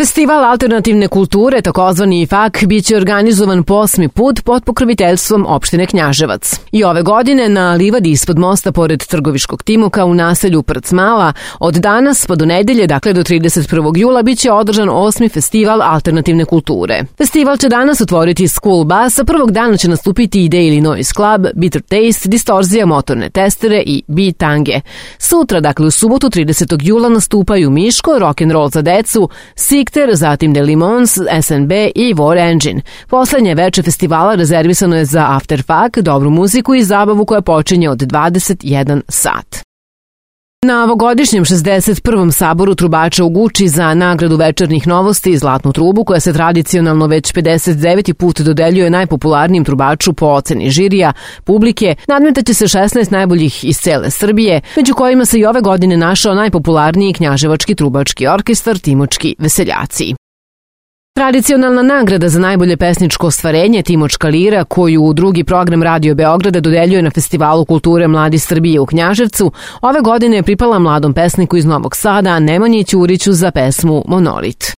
Festival alternativne kulture, takozvani FAK, biće organizovan po 8. put pod pokroviteljstvom opštine Knjaževac. I ove godine na livadi ispod mosta pored Trgoviškog Timuka u naselju Prcmala od danas pa do nedelje, dakle do 31. jula, biće održan 8. festival alternativne kulture. Festival će danas otvoriti School Bus, a prvog dana će nastupiti i Daily Noise Club, Bitter Taste, Distorzija, Motorne testere i Bitange. Sutra, dakle u subotu 30. jula, nastupaju Miško, Rock'n'Roll za decu, zatim The Limons, SNB i War Engine. Poslednje veče festivala rezervisano je za After Fak, dobru muziku i zabavu koja počinje od 21 sat. Na ovogodišnjem 61. saboru trubača u Guči za nagradu večernjih novosti Zlatnu trubu, koja se tradicionalno već 59. put dodeljuje najpopularnijim trubaču po oceni žirija, publike, nadmetaće se 16 najboljih iz cele Srbije, među kojima se i ove godine našao najpopularniji knjaževački trubački orkestar Timočki veseljaci. Tradicionalna nagrada za najbolje pesničko ostvarenje Timočka lira, koju u drugi program Radio Beograda dodeljuje na Festivalu kulture Mladi Srbije u Knjaževcu, ove godine je pripala mladom pesniku iz Novog Sada Nemanji Ćuriću za pesmu Monolit.